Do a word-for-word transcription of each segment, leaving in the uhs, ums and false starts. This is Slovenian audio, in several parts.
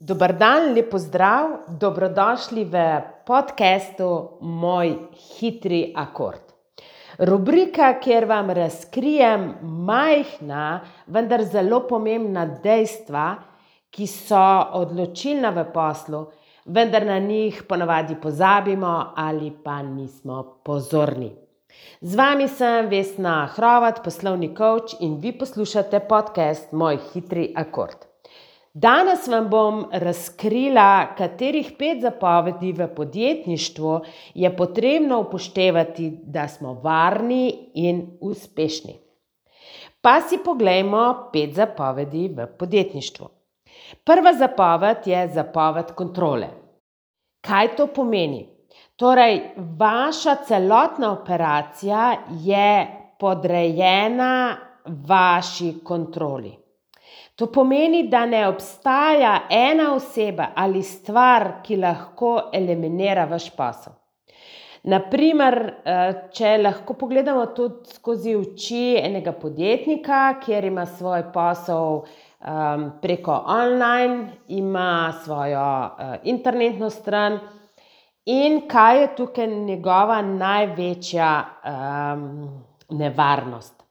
Dober dan, lep pozdrav, dobrodošli v podcastu Moj hitri akord. Rubrika, kjer vam razkrijem majhna, vendar zelo pomembna dejstva, ki so odločilna v poslu, vendar na njih ponavadi pozabimo ali pa nismo pozorni. Z vami sem Vesna Hrovat, poslovni coach, in vi poslušate podcast Moj hitri akord. Danes vam bom razkrila, katerih pet zapovedi v podjetništvu je potrebno upoštevati, da smo varni in uspešni. Pa si poglejmo pet zapovedi v podjetništvu. Prva zapoved je zapoved kontrole. Kaj to pomeni? Torej, vaša celotna operacija je podrejena vaši kontroli. To pomeni, da ne obstaja ena oseba ali stvar, ki lahko eliminira vaš posel. Na primer, če lahko pogledamo tudi skozi oči enega podjetnika, kjer ima svoj posel um, preko online, ima svojo uh, internetno stran, in kaj je tukaj njegova največja um, nevarnost.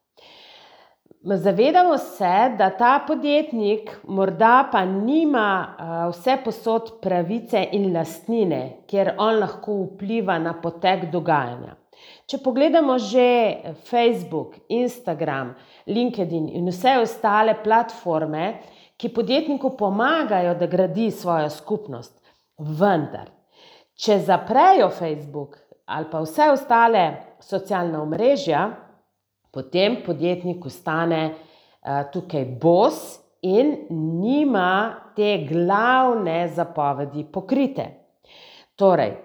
Zavedamo se, da ta podjetnik morda pa nima uh, vse posod pravice in lastnine, kjer on lahko vpliva na potek dogajanja. Če pogledamo že Facebook, Instagram, LinkedIn in vse ostale platforme, ki podjetniku pomagajo, da gradi svojo skupnost, vendar, če zaprejo Facebook ali pa vse ostale socialna omrežja, potem podjetnik ostane uh, tukaj bos in nima te glavne zapovedi pokrite. Torej,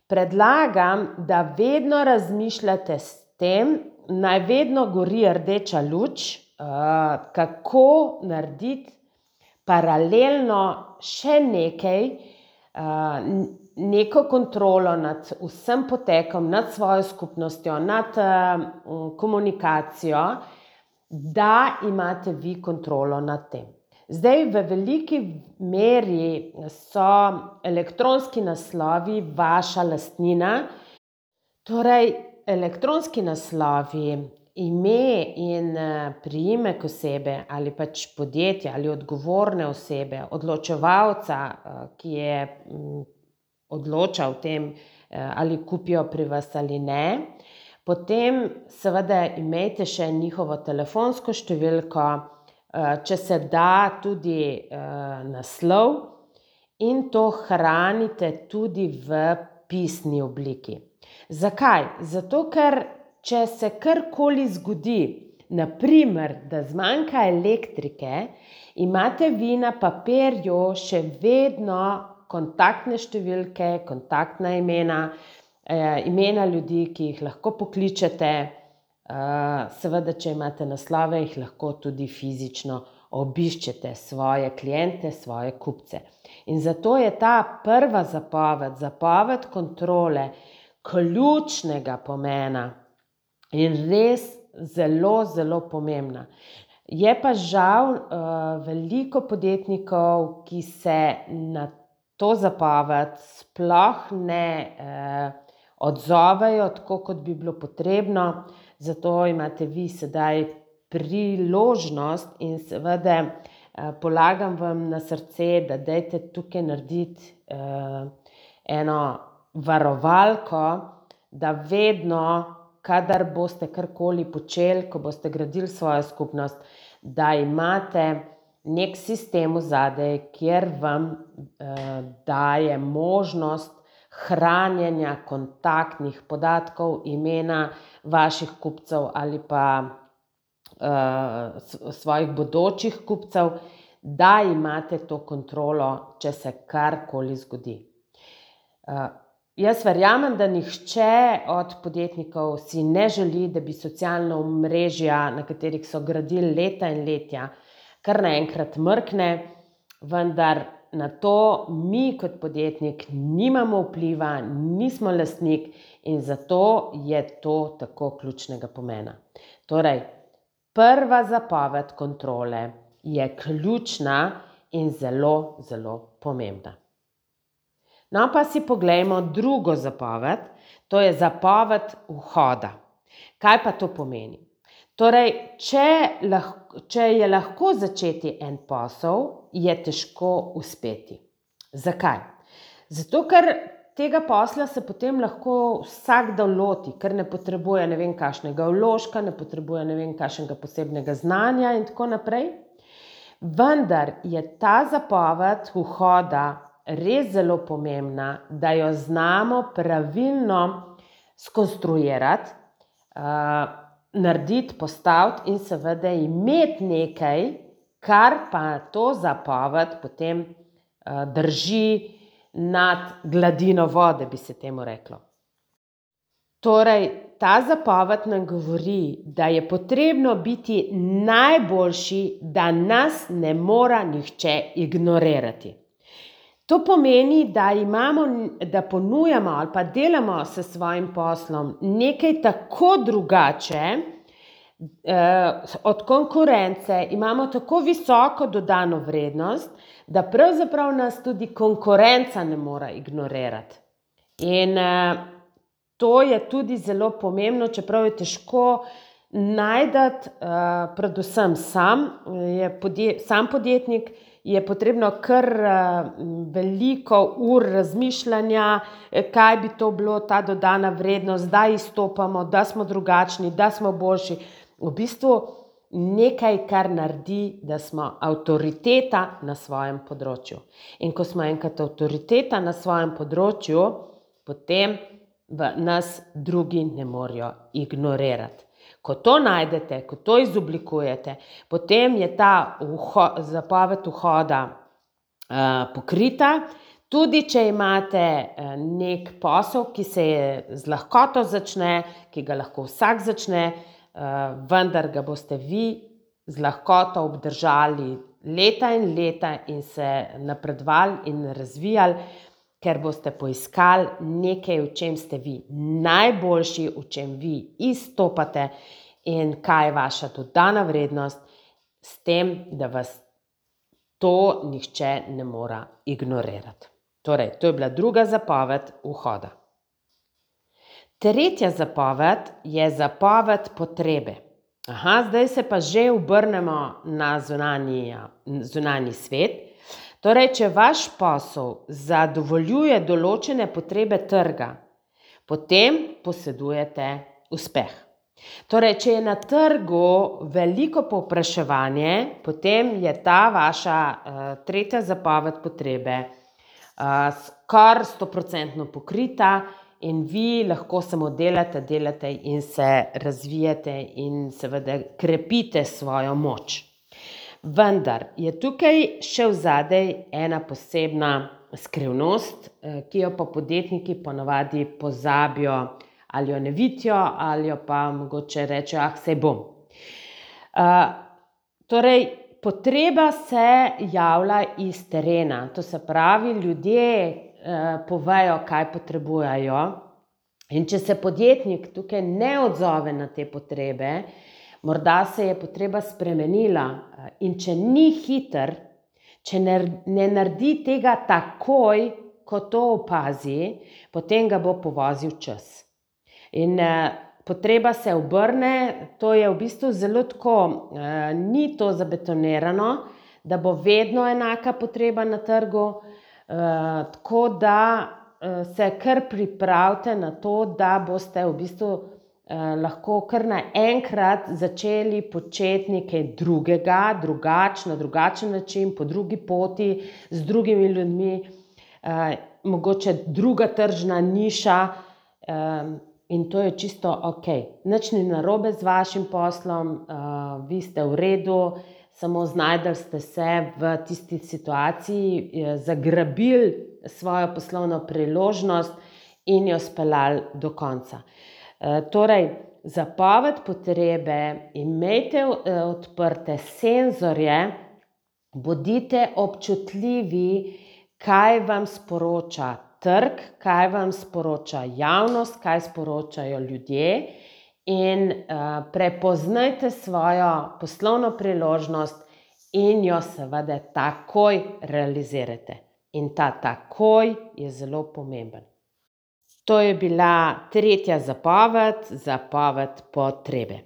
predlagam, da vedno razmišljate s tem, naj vedno gori rdeča luč, uh, kako narediti paralelno še nekaj, uh, neko kontrolo nad vsem potekom, nad svojo skupnostjo, nad uh, komunikacijo, da imate vi kontrolo nad tem. Zdaj, v veliki meri so elektronski naslovi vaša lastnina, torej elektronski naslovi, ime in priimek osebe ali pač podjetja ali odgovorne osebe, odločevalca, ki je odloča o tem, ali kupijo pri vas ali ne. Potem seveda imejte še njihovo telefonsko številko, če se da tudi naslov, in to hranite tudi v pisni obliki. Zakaj? Zato, ker če se karkoli zgodi, na primer, da zmanjka elektrike, imate vi na papirju še vedno kontaktne številke, kontaktna imena, eh, imena ljudi, ki jih lahko pokličete, eh, seveda, če imate naslove, jih lahko tudi fizično obiščete svoje kliente, svoje kupce. In zato je ta prva zapoved, zapoved kontrole, ključnega pomena in res zelo, zelo pomembna. Je pa žal uh, veliko podjetnikov, ki se na to zapoved sploh ne eh, odzovejo tako, kot bi bilo potrebno, zato imate vi sedaj priložnost in seveda eh, polagam vam na srce, da dajte tukaj narediti eh, eno varovalko, da vedno, kadar boste karkoli počeli, ko boste gradili svojo skupnost, da imate nek sistem vzadej, kjer vam eh, daje možnost hranjenja kontaktnih podatkov, imena vaših kupcev ali pa eh, svojih bodočih kupcev, da imate to kontrolo, če se karkoli zgodi. Eh, jaz verjamem, da nihče od podjetnikov si ne želi, da bi socialna omrežja, na katerih so gradili leta in letja, kar naenkrat mrkne, vendar na to mi kot podjetnik nimamo vpliva, nismo lastnik in zato je to tako ključnega pomena. Torej, prva zapoved kontrole je ključna in zelo, zelo pomembna. No, pa si poglejmo drugo zapoved, to je zapoved vhoda. Kaj pa to pomeni? Torej, če, lahko, če je lahko začeti en posel, je težko uspeti. Zakaj? Zato, ker tega posla se potem lahko vsakdo loti, ker ne potrebuje ne vem kakšnega vložka, ne potrebuje ne vem kakšnega posebnega znanja in tako naprej. Vendar je ta zapoved vhoda res zelo pomembna, da jo znamo pravilno skonstruirati, uh, narediti, postaviti in seveda imeti nekaj, kar pa to zapoved potem uh, drži nad gladino vode, bi se temu reklo. Torej, ta zapoved nam govori, da je potrebno biti najboljši, da nas ne mora nihče ignorirati. To pomeni, da imamo, da ponujamo ali pa delamo s svojim poslom nekaj tako drugače eh, od konkurence, imamo tako visoko dodano vrednost, da pravzaprav nas tudi konkurenca ne more ignorirati. In eh, to je tudi zelo pomembno, čeprav je težko najti, eh, predvsem sam, je podje, sam podjetnik, je potrebno kar veliko ur razmišljanja, kaj bi to bilo, ta dodana vrednost, da izstopamo, da smo drugačni, da smo boljši. V bistvu nekaj, kar naredi, da smo avtoriteta na svojem področju. In ko smo enkrat avtoriteta na svojem področju, potem nas drugi ne morejo ignorirati. Ko to najdete, ko to izoblikujete, potem je ta vho, zapoved vhoda uh, pokrita. Tudi če imate uh, nek posel, ki se je z lahkoto začne, ki ga lahko vsak začne, uh, vendar ga boste vi z lahkoto obdržali leta in leta in se napredovali in razvijali, ker boste poiskali nekaj, v čem ste vi najboljši, v čem vi izstopate in kaj je vaša dodana vrednost, s tem, da vas to nihče ne more ignorirati. Torej, to je bila druga zapoved vhoda. Tretja zapoved je zapoved potrebe. Aha, zdaj se pa že obrnemo na zunanji, zunanji svet. Torej, če vaš posel zadovoljuje določene potrebe trga, potem posedujete uspeh. Torej, če je na trgu veliko povpraševanje, potem je ta vaša uh, tretja zapoved potrebe uh, skoraj stoprocentno pokrita in vi lahko samo delate, delate in se razvijate in seveda krepite svojo moč. Vendar je tukaj še vzadej ena posebna skrivnost, ki jo pa podjetniki ponavadi pozabijo ali jo ne vidijo ali jo pa mogoče rečejo, ah, saj bom. Uh, torej, potreba se javlja iz terena, to se pravi, ljudje uh, povejo, kaj potrebujejo, in če se podjetnik tukaj ne odzove na te potrebe, morda se je potreba spremenila in če ni hiter, če ne, ne naredi tega takoj, ko to opazi, potem ga bo povozil čas. In eh, potreba se obrne, to je v bistvu zelo tako, eh, ni to zabetonirano, da bo vedno enaka potreba na trgu, eh, tako da eh, se kar pripravite na to, da boste v bistvu Eh, lahko kar naenkrat začeli početi nekaj drugega, drugač, na drugačen način, po drugi poti, z drugimi ljudmi, eh, mogoče druga tržna niša eh, in to je čisto ok. Nič ni narobe z vašim poslom, eh, vi ste v redu, samo znajdli ste se v tisti situaciji, eh, zagrabili svojo poslovno priložnost in jo speljali do konca. Torej, zapoved potrebe, imejte odprte senzorje, bodite občutljivi, kaj vam sporoča trg, kaj vam sporoča javnost, kaj sporočajo ljudje in uh, prepoznajte svojo poslovno priložnost in jo seveda takoj realizirate. In ta takoj je zelo pomemben. To je bila tretja zapoved, zapoved potrebe.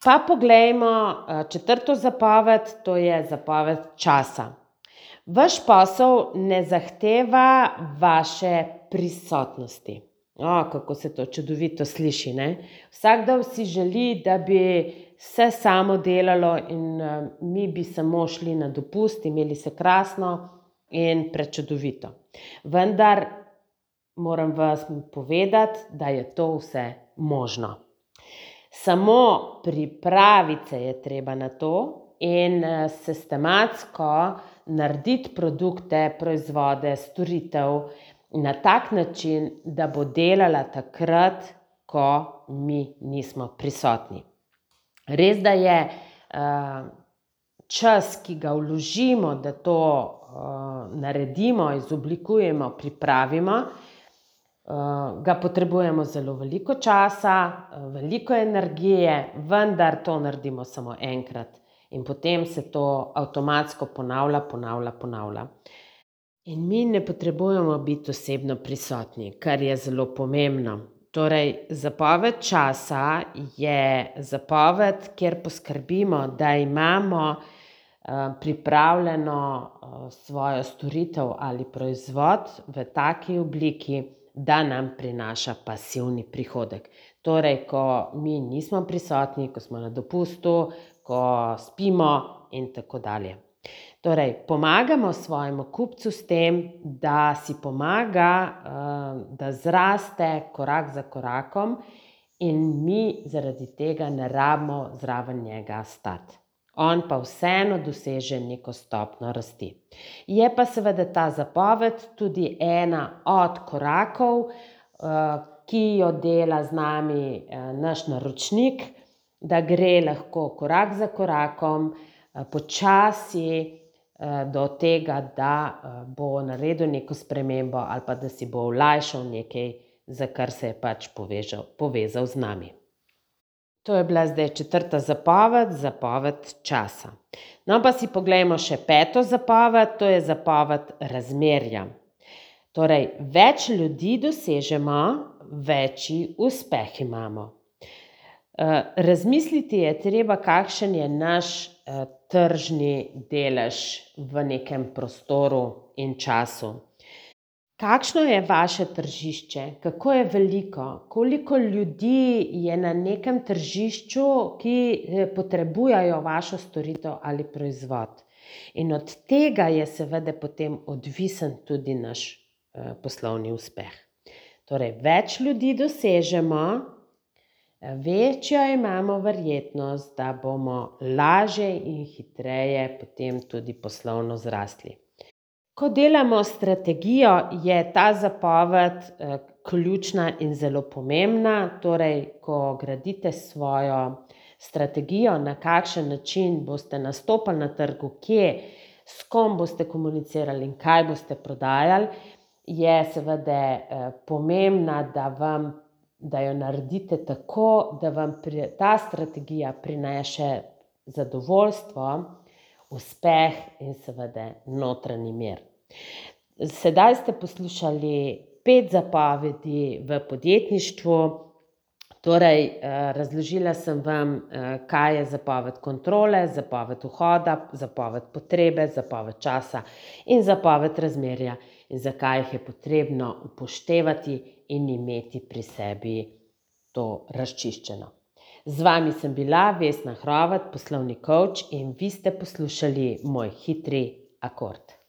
Pa poglejmo četrto zapoved, to je zapoved časa. Vaš posel ne zahteva vaše prisotnosti. O, kako se to čudovito sliši, ne? Vsakdo si želi, da bi se samo delalo in mi bi samo šli na dopust, imeli se krasno in prečudovito. Vendar moram vas povedati, da je to vse možno. Samo pripraviti se je treba na to in sistematsko narediti produkte, proizvode, storitev na tak način, da bo delala takrat, ko mi nismo prisotni. Res, da je čas, ki ga vložimo, da to naredimo, izoblikujemo, pripravimo, ga potrebujemo zelo veliko časa, veliko energije, vendar to naredimo samo enkrat. In potem se to avtomatsko ponavlja, ponavlja, ponavlja. In mi ne potrebujemo biti osebno prisotni, kar je zelo pomembno. Torej, zapoved časa je zapoved, kjer poskrbimo, da imamo pripravljeno svojo storitev ali proizvod v taki obliki, da nam prinaša pasivni prihodek. Torej, ko mi nismo prisotni, ko smo na dopustu, ko spimo in tako dalje. Torej, pomagamo svojemu kupcu s tem, da si pomaga, da zraste korak za korakom in mi zaradi tega ne rabimo zraven njega stati. On pa vseeno doseže neko stopnjo rasti. Je pa seveda ta zapoved tudi ena od korakov, ki jo dela z nami naš naročnik, da gre lahko korak za korakom, počasi do tega, da bo naredil neko spremembo ali pa da si bo olajšal nekaj, za kar se je pač povezal, povezal z nami. To je bila zdaj četrta zapoved, zapoved časa. No, pa si poglejmo še peto zapoved, to je zapoved razmerja. Torej, več ljudi dosežemo, večji uspeh imamo. Razmisliti je treba, kakšen je naš tržni delež v nekem prostoru in času. Kakšno je vaše tržišče? Kako je veliko? Koliko ljudi je na nekem tržišču, ki potrebujejo vašo storitev ali proizvod? In od tega je seveda potem odvisen tudi naš poslovni uspeh. Torej, več ljudi dosežemo, večjo imamo verjetnost, da bomo lažje in hitreje potem tudi poslovno zrasli. Ko delamo strategijo, je ta zapoved ključna in zelo pomembna. Torej, ko gradite svojo strategijo, na kakšen način boste nastopali na trgu, kje, s kom boste komunicirali in kaj boste prodajali, je seveda pomembna, da vam, da jo naredite tako, da vam ta strategija prinese zadovoljstvo, uspeh in seveda notranji mir. Sedaj ste poslušali pet zapovedi v podjetništvu. Torej, razložila sem vam, kaj je zapoved kontrole, zapoved vhoda, zapoved potrebe, zapoved časa in zapoved razmerja in zakaj jih je potrebno upoštevati in imeti pri sebi to razčiščeno. Z vami sem bila Vesna Hrovat, poslovni coach, in vi ste poslušali moj hitri akord.